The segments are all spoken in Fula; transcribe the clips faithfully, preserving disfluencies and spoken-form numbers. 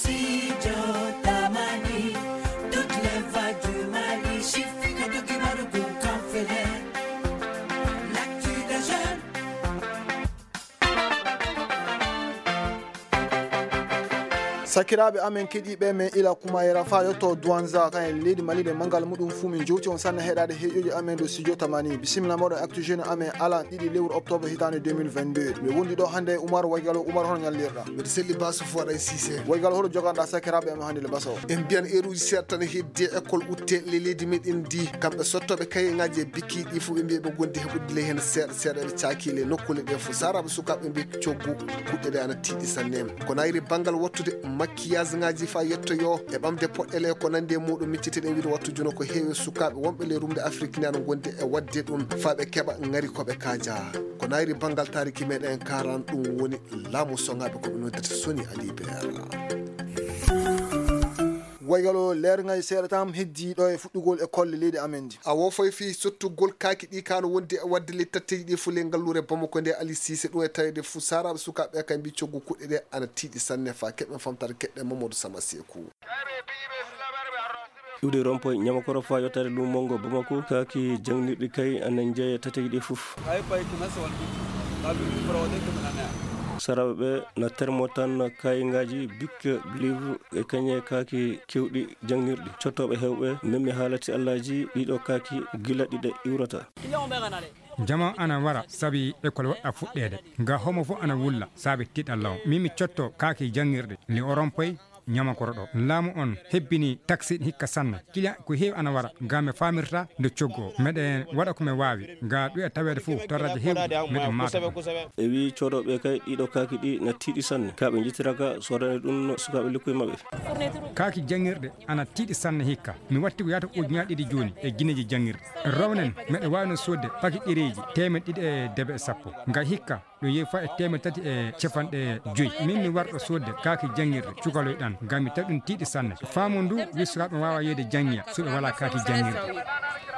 Studio Tamani, toutes les voix du Mali, Shifika Dokimaru Kanfele, l'actu des jeunes. Sakiraaɓe amen keɗiiɓe men ila kumayera faa yotto Duwanza kan e leydi Mali, nde manngal muɗum fuu min jowti on sanne heɗaade heeƴooji amen ɗo studio Tamani. Bisimilla mooɗon actu jeune amen alan ɗiɗi lewru octobre hitaande deux mille vingt-deux. Mi wondi ɗo hannde e Umar Waygalo. Umar, hono ñallirɗa? Mbiɗa selli Basu Fuad Ay Cissé. Waygalo, hoto joganɗa sakiraaɓe amen hannde le baso? En mbiyan eeruuji seeɗa tan e heddi e école utte le leydi meɗen ndi. Kamɓe sottooɓe kayeŋaaji e bikki ɗi fof ɓe mbiya ɓe gondi heɓude ley heen seeɗa seeɗa ɓe caaki le nokkuule ɗe fof. Saaraaɓe sukaaɓe mbiya coggu kuɗɗe ɗe ana tiiɗi sanne. Ko nayri banngal wattude maquillage ŋaaji faa yettoyoo e ɓamde poɗɗele ko nandi e muɗum, micciteɗen wiide wattu jono ko heewi sukaaɓe wonɓe ley rumde Afrik ne ana gondi e waɗde ɗum faa ɓe keɓa ŋari ko ɓe kaaja. Ko nayri banngal taariki meɗen karan ɗum woni laamu soŋaaɓe ko ɓe noddata Soni Ali Beera. Waygalo leer ŋay seeɗa tan heddi ɗo e fuɗɗugol e kolle leydi amen ndi. A wofay fii sottugol kaaki ɗi kano wondi e waɗde ley tatteji ɗi fo ley ngalluure Bamako nde Ali Cissé ɗum e tawede fo saaraaɓe sukaaɓe kay mbi coggu kuɗɗe ɗe ana tiiɗi sanne faa keɓen famtare keɗɗen Mamadou Sama Seku. Iwde Rompoy ñamakoro faa yottaade lumongo Bamako kaaki jangnirɗi kay ana njeeya tatteji ɗi fof. Saaraaɓe ɓe na termo tan kayngaaji bik livre e kañe kaaki kewɗi jangnirɗi. Cottooɓe heewɓe memmi haalati allaaji ɗiɗo kaaki gila ɗiɗe iwrata. Jama ana wara sabi école waɗa fuɗɗeede. Nga homo fof ana wulla sabi tiɗalla o. Min mi cotto kaaki janngirɗe li o rompoy ñamakoro ɗo. Laamu on hebbini taxi hikka sanne. Kila ko heewi ana wara. Nga mi faamirta nde coggo o. Meɗen waɗa ko mi waawi. Nga ɗuya taweede fof torraji heewɗi meɗen maata ɗum. E wii coodooɓe kay ɗiɗo kaaki ɗi na tiiɗi sanne. Ka ɓe njittiraka soodani ɗum sukaaɓe lekkuy maɓɓe. Kaaki janngirɗe ana tiiɗi sanne hikka. Mi watti ko yaata ujunaaji ɗiɗi jooni e gineeji janngirɗe. Rawnen meɗe waawi no soodde paki ɗereeji teemeɗɗe ɗiɗi e debe e sappo. Nga hikka ɗo yehi faa e teemeɗɗe tati e capanɗe joyi. Min mi warɗo soodde kaaki janngirɗe cukaloy ɗan. Ngam mi tawi ɗum tiiɗi sanne. Faamu ndu wi sukaaɓe waawa yeeyde janngiya so ɓe walaa kaaki janngirɗe.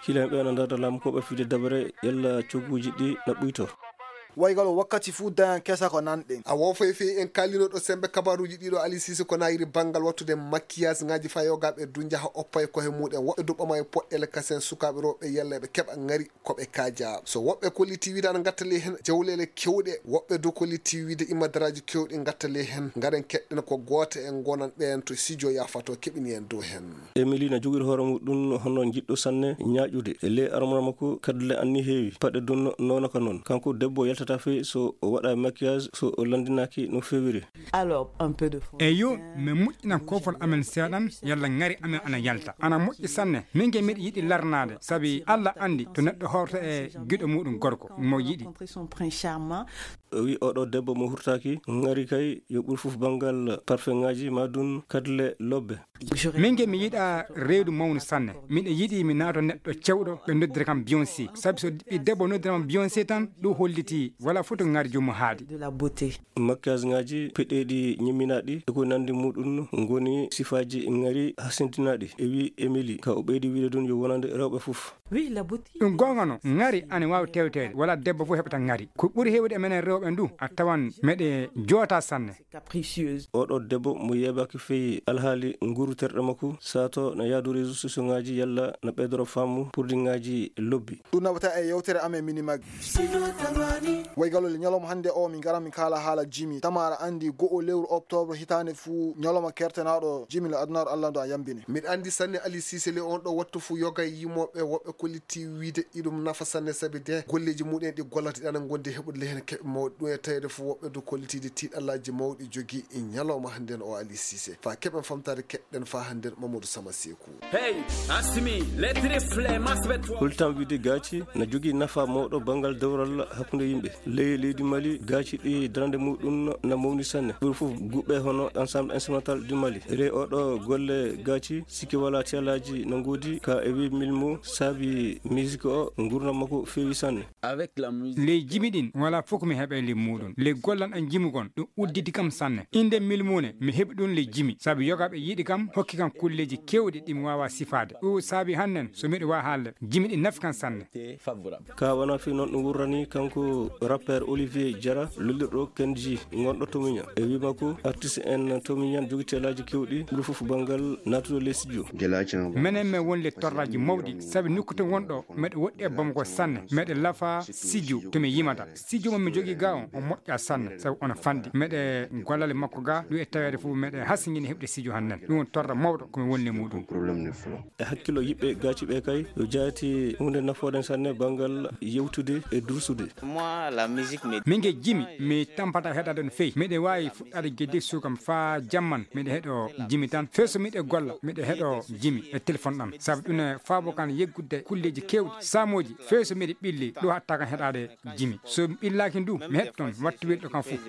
Kiilan ɓe ana ndarda laamu ko ɓe fide dabare yalla cogguuji ɗi na ɓuyto. Waygal o wakkati fuu dañan kesa ko nanɗen. A wofay fii en kaalino ɗo sembe kabaruuji ɗiɗo Ali Cissé ko nayiri banngal wattude maquillage ŋaaji fayogaaɓe du njaha oppay kohe muɗen woɓɓe du ɓama e poɗɗele kasen sukaaɓe rewɓe yalla ɓe keɓa ŋari ko ɓe kaaja. So woɓɓe kolliti wiide ana ngatta ley heen jawleele kewɗe, woɓɓe du kolliti wiide imadaraaji kewɗi ngatta ley heen. Ngaren keɗɗen ko gooto en gonan ɓeen to sijo yaafato keɓini en dow heen. Emily na jogori hoore muɗum hono jiɗɗo sanne ñaaƴude. E ley armora makko kadle anni heewi. Paɗe dun noona ka noon. Kanko debbo yaltata fey so o waɗa maquillage, so o landinaaki no fewiri. Alors, un peu de français. Eyo, mi moƴƴinan koofol amen seeɗan, yalla ŋari amen ana yalta. Ana moƴƴi sanne. Min ke miɗo yiɗi larnaade, sabi Alla anndi to neɗɗo hoorta e giɗo muɗum gorko, mo yiɗi. Rencontrer son prince charmant. O wi oɗo debbo mo hurtaaki, ŋari kay yo ɓur fof banngal parfumŋaaji ma dun kadle lobbe. Min ke mi yiɗa reedu mawnu sanne. Miɗo yiɗi mi naato neɗɗo cewɗo ɓe noddira kam Beyoncé. Sabi so ɓi debbo noddira kam Beyoncé tan, ɗum holliti wala foto ŋari jomum haadi. De la beauté. Maquillage ŋaaji peɗeeɗi ñimminaaɗi e ko nandi muɗum ngoni sifaaji ŋari hasindinaaɗi, e wi Emily. Ka o ɓeydi wiide dun yo wonande rewɓe fof. Oui, la beauté. Ɗum goonga no, ŋari ana waawi tewteede, wala debbo fof heɓata ŋari. Ko ɓuri heewde e menen rewɓe ndu, a tawan meɗe joota sanne. Capricieuse. Oɗo debbo mo yeebaaki fii alhaali nguru terɗe makko, sato na yaadu réseaux sociaux ŋaaji yalla na ɓeydoro faamu produit ŋaaji lobbi. Ɗum naɓata e yewtere amen Minimag. Waygalol ñalawma hannde o min ngara min kaala haala jimi. Tamara anndi go'o lewru octobre hitaande fuu ñalawma kertanaaɗo jimi le adunaaru Allah ndu a yambini. Miɗa anndi sanne Ali Cissé le on ɗo wattu fuu yoga e yimooɓe woɓɓe kolliti wiide iɗum nafa sanne sabi de golleeji muɗen ɗi gollata ɗana gondi heɓude le heen keɓe mawɗi ɗum e tawede fuu woɓɓe du kollitiide tiiɗallaaji mawɗi jogi e ñalawma hannden o Ali Cissé. Faa keɓen famtaade keɗɗen faa hannden Mamadou Sama Seku. Hey, Asimi, lettre flemme, aspect toi. Hultam wiide gaaci na jogii nafa mawɗo banngal dewral hakkunde yimɓe. Ley leydi Mali, gaaci ɗi darande muɗum na mawni sanne. Ɓuri fof guɓɓe hono Ensemble Instrumental du Mali. Rey oɗo golle gaaci, sikke wala tiyalaaji na ngoodi ka e wi milmo saabi musique o ngurnam makko feewi sanne. Avec la musique. Ley jimi ɗin wala fof ko mi heɓe. e le muɗum. Le gollan an jimugon, ɗum udditi kam sanne. Inde milmune, mi heɓi ɗum le jimi. Sabi yogaaɓe yiɗi kam, hokki kam kulleeji keewɗi ɗi mi waawaa sifaade. Ɗum saabi hannen, so miɗo waa haalde, jimi ɗi nafi kam sanne. Ka wona fii noon ɗum wurrani kanko rappeur Olivier Jara, lullirɗo Kenji, gonɗo Tomiña. E wii makko, artiste en Tomiña jogi teelaaji keewɗi, ɓuri fof banngal naatude les studio. Menen men won le torraji mawɗi, sabi nokku to wonɗo, meɗe woɗɗi e Bamako sanne, meɗe lafa studio to mi yimata. Studio mo mi jogi ga on, on moƴƴa sanne, sabi on fanɗi. Meɗe gollale makko ga, ɗum e taweede fof meɗe hasingini heɓde studio hannen. Ɗum won torra mawɗo ko mi wonni e muɗum. E hakkillo yiɓɓe gaaci ɓe kay, yo jaati huunde nafooɗen sanne banngal yewtude e dursude. Min ge jimi, mi tampata heɗade no feewi. Miɗe waawi fuɗɗade gedde suukam faa jamman, miɗe heɗo jimi tan. Fee so miɗe golla, miɗe heɗo jimi e téléphone ɗam. Sabu ɗum e faabo kan yeggudde kulleeji keewɗi, saamooji. Fee so miɗe ɓilli, ɗum hatta kan heɗaade jimi. So mi ɓillaaki ndu, mi heɗ toon, wattu welɗo kan fof.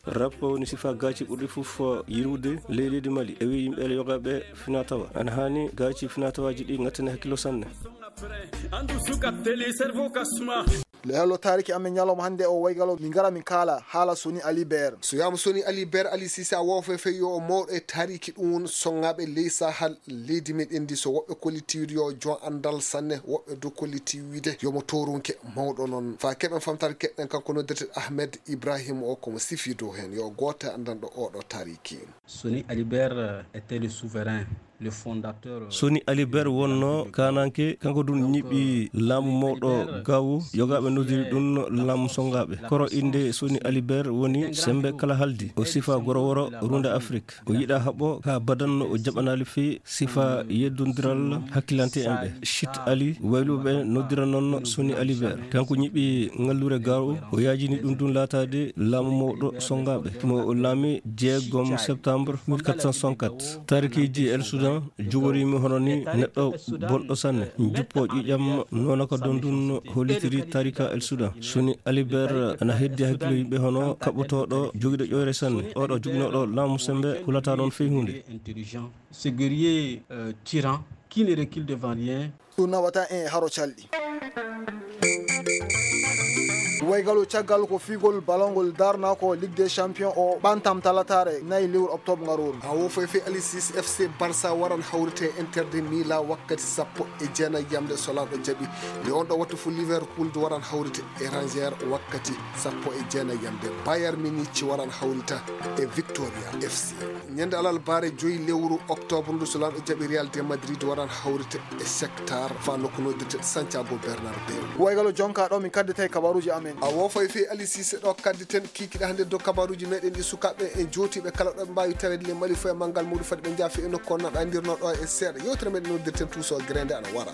Rap woni sifa gaaci ɓurɗi fof yirude ley leydi Mali. E wi yimɓe ele yogaaɓe finatawa. Ana haani gaaci finatawaaji ɗi ngattane hakkillo sanne. Hello, taariki amen ñalawma hannde o waygalo min ngara min kaala haala Soni Ali Ber. So wiyaama Soni Ali Ber, Ali Sise, a woofay fey yo o mawɗo e taariki ɗum won songaaɓe ley sahal leydi meɗen ndi. So woɓɓe kolliti wiide yo jon anndal sanne, woɓɓe du kolliti wiide yo mo toorunke mawɗo noon. Faa keɓen famtaade keɗɗen kanko noddirte Ahmed Ibrahim o, ko mo sifi dow heen, yo gooto e anndanɗo oɗo taariki. Soni Alibert était le souverain, le fondateur. Soni Alibert wonno kananke, kanko dun ñiɓi laamu mawɗo gawu, yogaaɓe noddiri ɗun laamu songaaɓe. Koro innde Soni Alibert woni sembe kala haldi. O sifa goro woro runde Afrik. O yiɗa haɓo ka badanno o jaɓanaali fii sifa yeddondiral hakkilante en ɓe. Chit Ali, wayluɓe noddira non Soni Alibert. Kanko ñiɓi ngallure gawo, o yaajini ɗun dun laataade laamu mawɗo songaaɓe. Mo o laami jeegom septembre mille quatre cent soixante-quatre. Taarikiiji El Soudan jogoriimi hono ni neɗɗo bonɗo sanne, juppo ƴiƴam noona ko don dun hollitiri taarika El Soudan. Soni Alibert ana heddi hakkilo yimɓe hono kaɓɓotooɗo jogiiɗo ƴoyre sanne. Oɗo joginooɗo laamu sembe hulata non fey huunde. Intelligent, ce guerrier, euh, tyran, qui ne recule devant rien. Ɗum nawata en e haro calɗi. Waygalo caggal ko fiigol balongol darnako Ligue des Champions o ɓantam talataare nayi lewru octobre ngarooru. A wo foy fe Alisis F C Barça waran hawrite e Inter de Milan wakkati sappo e jeenayi yamde so Laamɗo jaɓi. Nde on ɗo wattu fu Liverpool du waran hawrite e Rangers wakkati sappo e jeenayi yamde. Bayern Munich waran hawrita e Victoria F C. Ñande alarbaare joyi lewru octobre ndu so Laamɗo jaɓi Real de Madrid waran hawrite e Shakhtar fa nokku noddirte Santiago Bernabeu. Waygalo jonka ɗo min kadditay kabaruji amen. A wo foy fe Ali Cissé ɗo kadditen kikiɗe hannde dow kabaruji meɗen ɗi sukaaɓe e jootiiɓe kala ɗo ɓe mbaawi taweede le Mali foy e manngal muɗum fadi ɓe njaafi e nokku on naɗa ndirno ɗo e seeɗa. Yewtere meɗen noddirten tuuso grende ana wara.